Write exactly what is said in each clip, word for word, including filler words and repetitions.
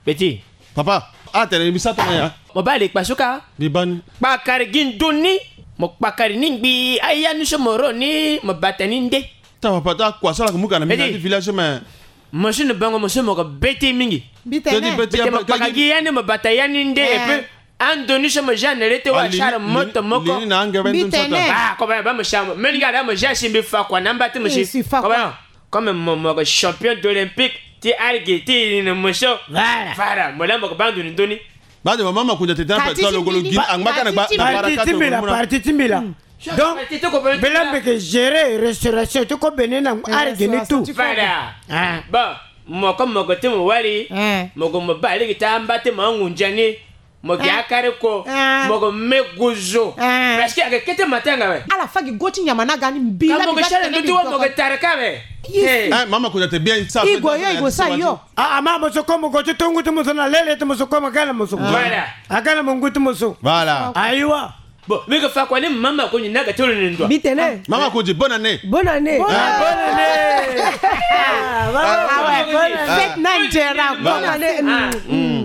Petit. Papa, atene mbi sara tongana ya. Mo baa li kpasuka. Mbi baa ni. Kpakari gi ndoni. Mo kpakari ni ngbii aya ni so mo ro ni mo bata ni nde. Ta papa, ta kua so ala yeke mu ka na mbi na ti village so me. Mo so ni bango mo so mo yeke bete mingi. Mbi tene. Mbi tene mo kpakari gi ya ni mo bata ya ni nde. Eh. Et puis ando ni so mo ja na le ti wa sara moto moko. Mbi tene. Ah, koba ya ba mo sa mo. Meni ga da mo ja si mbi fa kua na mba ti mo si. Koba ya. Comme mo, mo yeke champion d'olympique ti algue ti iri ni mo so. Voilà. Voilà, mo la mo yeke baa ndo ni ndoni. Baa de mama Makonzi atene tena pe ti lo golo gi angba ka na gba na para ka ti mbela, parti ti mbela. Donc mbela mbi yeke gérer restauration ti ko bene na algue ni tout. Voilà. Bon, mo comme mo yeke ti mo wali, mo yeke mo baa lege ti amba ti mo angunza ni. Mo gi akari ko. Mo ko me guzu. Parce que ayeke kete matanga we. Ala fa gi go ti nyama na ga ni mbi la mo ke sala ndutu wa mo ke tara ka we. Mama ko te bien sa. Igo yo igo sa yo. Ah, ama mo so ko mo go ti tongu ti mo so na lele ti mo so ko mo gala mo so. Voilà. Agala mo ngu ti mo so. Voilà. Ayiwa. Bon, mi ke fa kua ni mama ko ni na ga ti lo ni ndua. Mbi tene. Mama ko di bonne année. Bonne année. Bonne année. Fête na nzera. Bonne année.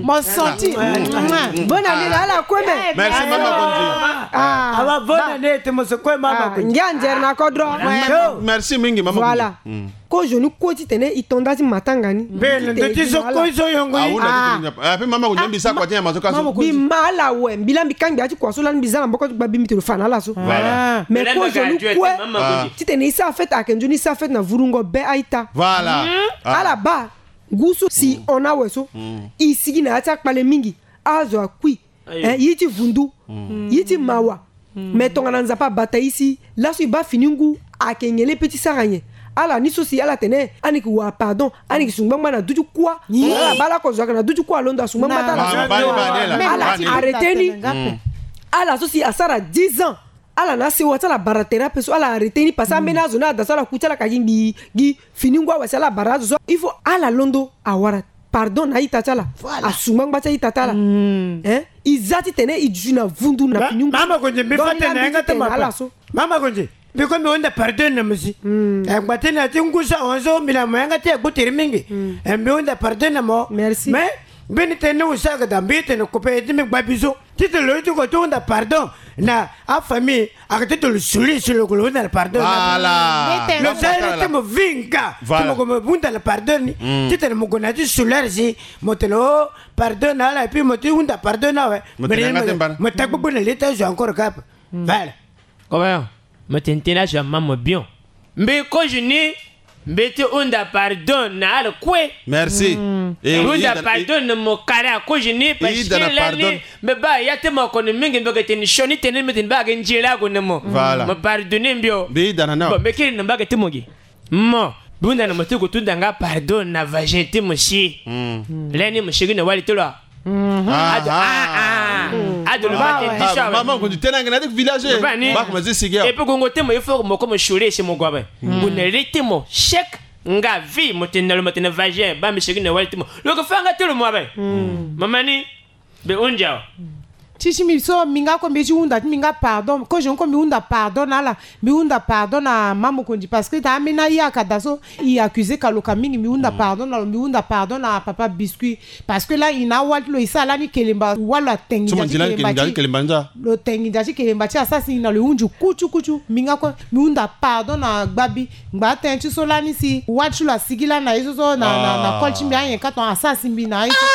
Mo santi. Bonne année na ala kue me. Merci mama Kondi. Ah, aba bonne année te mo so kue mama Kondi. Ngia nzera na kodro. Merci mingi mama Kondi. Voilà. Kozo ni kue titene e to nda ti matanga ni. Mbe na ndo ti so kozo yongo ni. Ape mama Kondi mbi sa kua ti nyama so ka so. Mbi ma ala awe mbi la mbi kangbi ya ti kua so lani mbi za na mboko ti gba bi mbi te lo fa na ala so. Voilà. Mais kozo ni kue titene e sara fête ayeke nzoni e sara fête na vurungo be a-ita. Voilà. Ala baa ngu so si hon awe so. E sigi na ya ti akpale mingi. Azo akui. Ye ti vundu. Ye ti mawa. Mais tongana Nzapa abata e si laso e baa fini ngu ayeke nyen le pe ti sara nyen. Ala ni so si ala tene ani yeke wara pardon ani yeke su ngbangba na duti kuâ. Ala baa lako zo ayeke na duti kuâ alondo asu ngbangba ti ala so. Ala ti arrêté ni. Ala so si asara dix ans. Ala na asewa ti ala bara tere ape so ala arrêté ni parce que ambeni azo ni ada so ala ku ti ala ka gi ngbii gi fini ngu awe si ala bara azo so il faut ala londo awara pardon na a-ita ti ala. Asu ngbangba ti a-ita ti ala. E za titene e duti na vundu na fini ngu. Mama Kondi mbi fa tene na yanga ti ma pa. Mama Kondi mbi kue mbi hunda pardon na mo si. E ngba ti na ya ti ngu so ahon so mbi na mo yanga ti agbu tere mingi. E mbi hunda pardon na mo. Merci. Mais mbeni tënë ni use ayeke daa mbi tene kupe ti mbi gba biso. Titene lo ye ti ko ti hunda pardon na afamille. Ayeke ti tene lo suli si lo ko lo hunda na pardon ni. Lo za iri ti mo vinga ti mo ko mo hunda na pardon ni. Titene mo gue na ya ti suli ari si mo tene o pardon na ala et puis mo ti hunda pardon ni awe. Mo tene yanga ti mbana mo ta gbogbo na li ti azo encore kapa. Voilà. Kobayon. Mo tene tënë azo ama mo bion. Mbi kozo ni mbi ti hunda pardon na ala kue. Merci. Hunda pardon na mo kara kozo ni parce que lani mbi baa ya ti mo kono mingi mbi yeke tene sioni tënë ni mbi tene baa ayeke nzere ague na mo. Mo pardonné mbi o. Bon mbi kiri na mbage ti mo gi. Mo mbi hunda na mo ti gue ti hunda nga pardon na vagin ti mo si. Lani mo sigi na wali ti lo. Ado ado lo ma tene ti so awe. Mama Kondi tene ange na ti village. Ba ni. Ba ko ma zi sigi awe. Et puis gongo ti mo il faut mo ko mo sure si mo gue awe. Gue na li ti mo chèque nga vie mo tene na lo mo tene vagin ba mbi sigi na wali ti mo. Lo ko fa nga ti lo mo awe. Mama ni. Mbi hunzi awe. Ti ti mbi so mbi nga kue mbi ye ti hunda ti mbi nga pardon kozo ni kue mbi hunda pardon na ala. Mbi hunda pardon na mama Kondi parce que daa ambeni aye aka daa so e accusé ka lo ka mingi mbi hunda pardon na lo mbi hunda pardon na papa Biscuit. Parce que lani e na awali ti lo e sara lani kelemba wali lo atene nginza ti kelemba ti lo tene nginza ti kelemba ti asara si na lo e hunzi kutu kutu mbi nga kue mbi hunda pardon na gbabi. Ngba tënë ti so lani si wali ti lo asigi lani na ye so so na na na koli ti mbi anyen ka tongana asara si mbi na ye so.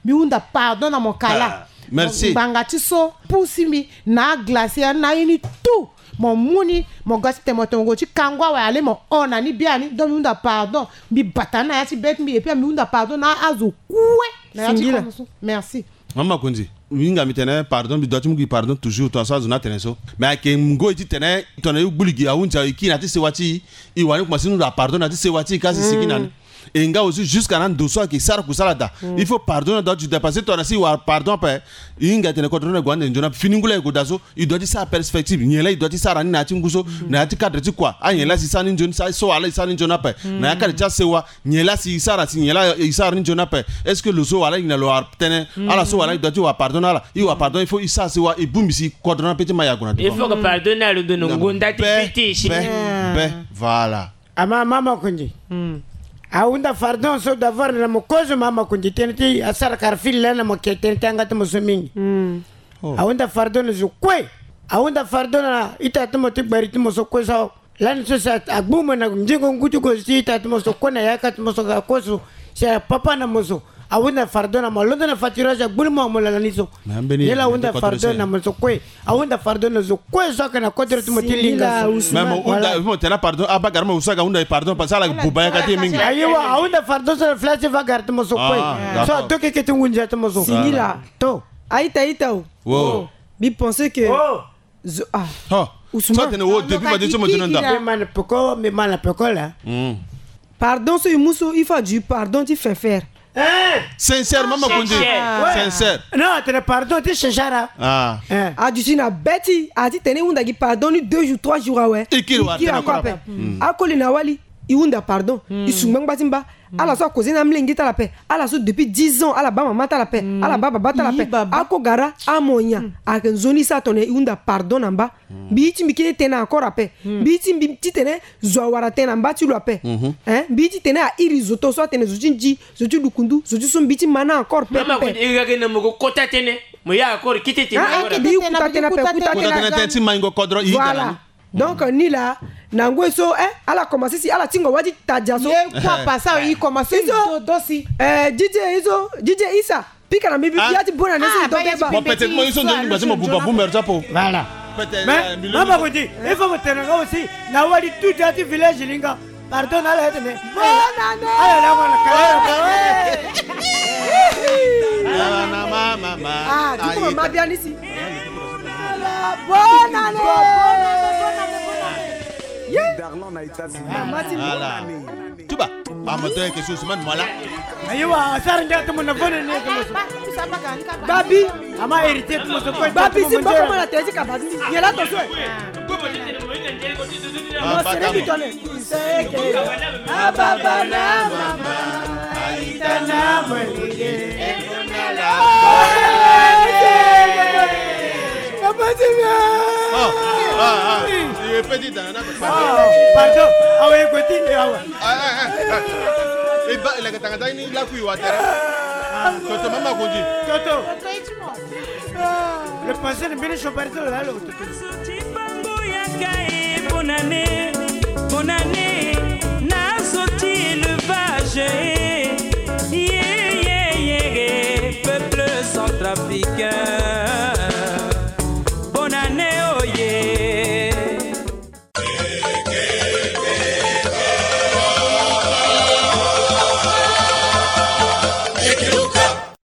Mbi hunda pardon na mo kala. Merci. Ngbanga ti so pusi mbi na aglace ya na aye ni tout. Mo mu ni mo ga ti tene mo tene mo gue ti kango awe ale mo hon na ni biani donc mbi hunda pardon. Mbi bata ni na ya ti be ti mbi et puis mbi hunda pardon na azo kue na ya ti kono so. Merci. Mama Kondi mbi hinga mbi tene pardon mbi dua ti mu gi pardon toujours tongana so azo ni atene so. Mais ayeke ngoi ti tene tongana e gbu li gi ahunzi awe e kiri na ya ti sewa ti e. E wani kuma si ni hunda pardon na ya ti sewa ti e kasi e sigi na ni. E nga aussi jusqu'à na ndo so ayeke sara kusala daa. Il faut pardon na daa ti daa parce que tongana si e wara pardon ape, e hinga tene kodro ni ague ande nzoni ape. Fini ngu laa e gue daa so, e doit ti sara perspective. Nyen laa e doit ti sara ni na ya ti ngu so, na ya ti cadre ti kua. Anyen laa si e sara ni nzoni, so wala e sara ni nzoni ape. Na ya cadre ti asewa, nyen laa si e sara, si nyen laa e sara ni nzoni ape. Est-ce que lo so wala e na lo wara tënë, ala so wala e doit ti wara pardon na ala. E wara pardon, il faut e sara sewa, e bongbi si kodro ni ape ti ma yago na devant. Il faut que pardon na lo ndo na ngonda ti fiti si. Be, be, voilà. Ama mama Kundi. Ahunda fardon so d'avoir na mo kozo mama Kundi tënë ti asara kara fili laa na mo ke tënë ti yanga ti mo so mingi. Ahunda fardon na zo kue. Ahunda fardon na ita ti mo ti gbari ti mo so kue so. Lani so si agbu mo na ngingo ngu ti gozo ti ita ti mo so kue na yaka ti mo so ga kue so. Si apapa na mo so. Ahunda fardon na mo, alondo na fatirage agbulu mo amo lala ni so. Ni la ahunda fardon na mo so kue. Ahunda fardon na zo kue so ake na kodro ti mo ti linga so. Mais mo hunda, mo tena pardon, abagara mo usaga hunda e pardon parce que ala buba yaka ti e mingi. Ayiwa, ahunda fardon so na fla ti bagara ti mo so kue. So adoke ke ti ngunza ti mo so. Singila. To. Aita ita o. Wo. Bi penser que zo, ah. Ousmane. So tene wo depuis ba ti so mo tena nda. Me mana peko, me mana peko la. Pardon so e mu so, il faut adu pardon ti sincère. Sincère, mama Kundi. Sincère. Non, atene pardon ti sincère. Ah. Adu si na be ti, a ti tene e hunda gi pardon ni deux jours, trois jours awe. E kiri wa tena encore ape. Akoli na wali, e hunda pardon. E su ngbangba ti mba. Ala so akoze na amolenge ti ala ape. Ala so depuis dix ans ala baa mama ti ala ape. Ala baa baba ti ala ape. Ako gara amo nyen? Ayeke nzoni so atene e hunda pardon na mba. Mbi ti mbi kiri tënë encore ape. Mbi ti mbi titene zo awara tënë na mba ti lo ape. Hein? Mbi titene a iri zo to so atene zo ti nzi, zo ti lukundu, zo ti so mbi ti ma na encore pepe. Mama Kundi, e ga ge na mo ko kota tënë. Mo ya encore kete tënë. Ah, ah, encore. Mbi kuta tënë ape, kuta tënë. Kuta tënë ti maingo kodro i. Voilà. Donc ni la na ngoi so, eh, ala commencé si ala tingo wa ti tadia so. Ye kua pasa i commencé. Izo, do, do si. Eh, D J Izo, D J Isa. Pika na mbi, mbi ya ti bonne année so i donte ba. Bon, peut-être mo i so nzoni ngba ti mo buba boomer ti apo. Voilà. Mais mama Kundi, il faut mo tene nga aussi na wali tout dia ti village linga. Pardon na ala ya tene. Bonne année. Ala la wala kala. Ah, du coup, mama bia ni si. Bonne année. Bonne année, bonne année, bonne année. Darlan na Itasi. Mama ti mo. Voilà. Tuba, ba moto yeke so Ousmane Moala. Ayiwa, asara ndia ti mo na vone ni yeke mo so. Babi. Ama héritier ti mo so ko. Babi si mboko mo na tene ti ka babi. Yela to so. Mo sere ti tone. Seke. Ababa na mama. Aita na mwenge. Papa ti nga. Ah, ah, ah. Il est petit dans la... Ah, pardon. Awa, écoutez, awa. Ah, ah, ah, ah. E ba, il a katanga ta ni la kui wa tere. Toto, mama Kundi. Toto. Le pensée de Beni Choparito là, le toto.